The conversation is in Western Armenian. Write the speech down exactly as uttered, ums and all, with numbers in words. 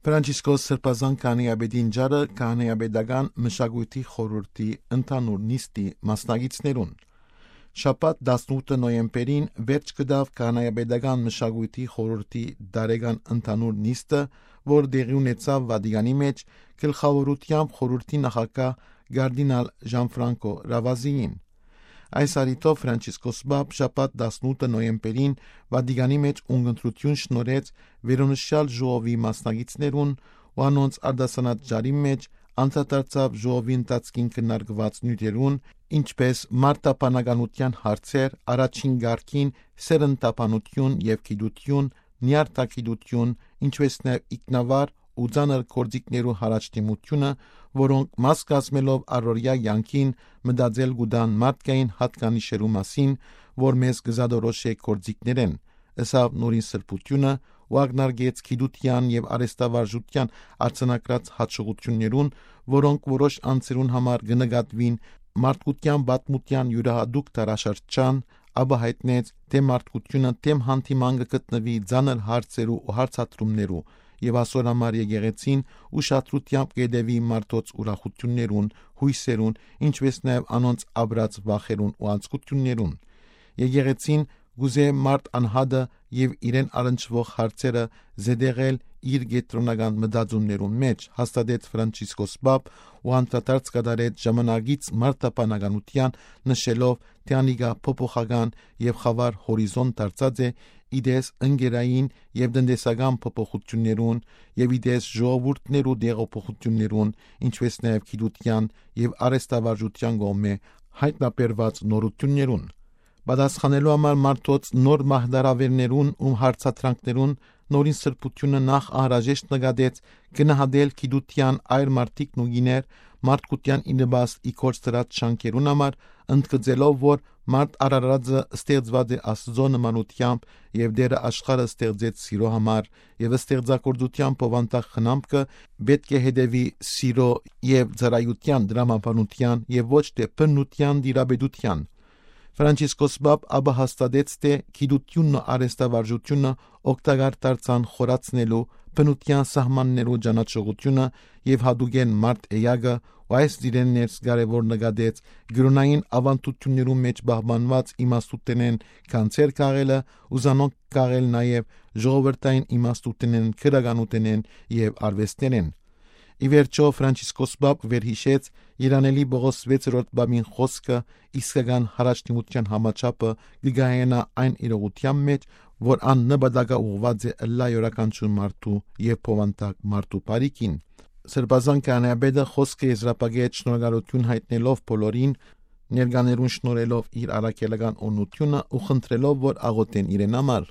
Ֆրանցիսկոս Սրբազան քահանայապետին ճառը քահանայապետական մշակոյթի խորհրդի ընդհանուր նիստի մասնակիցներուն։ Շաբաթ, տասնութ նոյեմբերին, վերջ կդաւ քահանայապետական մշակոյթի խորհրդի տարեկան ընդհանուր նիստը, որ տեղի ունեցաւ Վատիկանի մէջ, գլխաւորութեամբ խորհրդի նախագահ կարդինալ Ժանֆրանքո Ռավազիին։ Այս առիթով Ֆրանցիսկոս Պապ շաբաթ, տասնութ նոյեմբերին, Վատիկանի մէջ ունգընտրութիւն շնորհեց վերոնշյալ ժողովի մասնակիցներուն ու անոնց արտասանած ճառին մէջ անդրադարձաւ ժողովի ընթացքին քննարկուած նիւթերուն, ինչպէս մարտապանականութեան հարցեր, առաջին կարգին սերնդաբանութիւն եւ գիտութիւն, նյարդագիտութիւն, ինչպէս նաեւ ինքնավար ու ծանր գործիքներու յառաջդիմութիւնը, որոնք մաս կազմելով առօրեայ կեանքին, մտածել կու տան մարդկային յատկանիշերու մասին, որ մեզ կը զատորոշէ գործիքներէն, ըսաւ Նորին Սրբութիւնը ու ակնարկեց գիտութեան եւ արհեստավարժութեան արձանագրած յաջողութիւններուն, որոնք որոշ անձերուն համար կը նկատուին մարդկութեան պատմութեան իւրայատուկ դարաշրջան, ապա յայտնեց, թէ մարդկութիւնը դէմ հանդիման կը գտնուի ծանր հարցերու ու հարցադրումներու, եւ ասոր համար եկեղեցին ուշադրութեամբ կ'ետեւի մարդոց ուրախութիւններուն, յոյսերուն, ինչպէս նաեւ անոնց ապրած վախերուն ու անձկութիւններուն։ Եկեղեցին կ'ուզէ մարդ անհատը եւ իրեն առնչուող հարցերը զետեղել իր կեդրոնական մտածումներուն մէջ, հաստատեց Ֆրանցիսկոս Պապ ու անդրադարձ կատարեց ժամանակից մարտապանականութեան, նշելով, թէ անիկա փոփոխական եւ խաւար հորիզոն դարձած է, ի տես ընկերային եւ տնտեսական փոփոխութիւններուն եւ ի տես ժողովուրդներու տեղափոխութիւններուն, ինչպէս նաեւ գիտութեան եւ արհեստավարժութեան կողմէ յայտնաբերուած նորութիւններուն։ Պատասխանելու համար մարդոց նոր մահդարավերներուն ու հարցադրանքներուն, Նորին Սրբութիւնը նախ անհրաժեշտ նկատեց գնահատել գիտութեան այր մարդիկն ու գիներ մարդկութեան ի նպաստ ի գործ դրած շանքերուն համար, ընդգծելով, որ մարդ արարածը ստեղծուած է Աստուծոյ նմանութեամբ եւ Տէրը աշխարհը ստեղծեց սիրոյ համար, եւ ստեղծագործութեան բովանդակ խնամքը պէտք է հետեւի սիրոյ եւ ծառայութեան տրամաբանութեան եւ ոչ թէ բնութեան տիրապետութեան։ Ֆրանցիսկոս Պապ ապա հաստատեց, թէ գիտութիւնն ու արհեստավարժութիւնը օգտակար դարձան խորացնելու բնութեան սահմաններու ճանաչողութիւնը եւ յատուկէն մարդ էակը, ու այս դիրէն ներս կարեւոր նկատեց կրօնային աւանդութիւններու մէջ պահպանուած իմաստութենէն գանձեր քաղելը ու զանոնք քաղել նաեւ ժողովրդային իմաստութենէն, քրականութենէն եւ արուեստներէն։ Ի վերջոյ, Ֆրանցիսկոս Պապ վերհիշեց Երանելի Պողոս վեցերորդ Պապին խօսքը, իսկական յառաջդիմութեան համաչափը կը կայանայ այն իրողութեան մէջ, որ ան նպատակաուղղուած է ըլլայ իւրաքանչիւր մարդու եւ բովանդակ մարդու բարիքին։ Սրբազան քահանայապետը խօսքը եզրափակեց շնորհակալութիւն յայտնելով բոլորին, ներկաներուն շնորհելով իր առաքելական օրհնութիւնը ու խնդրելով, որ աղօթեն իրեն համար։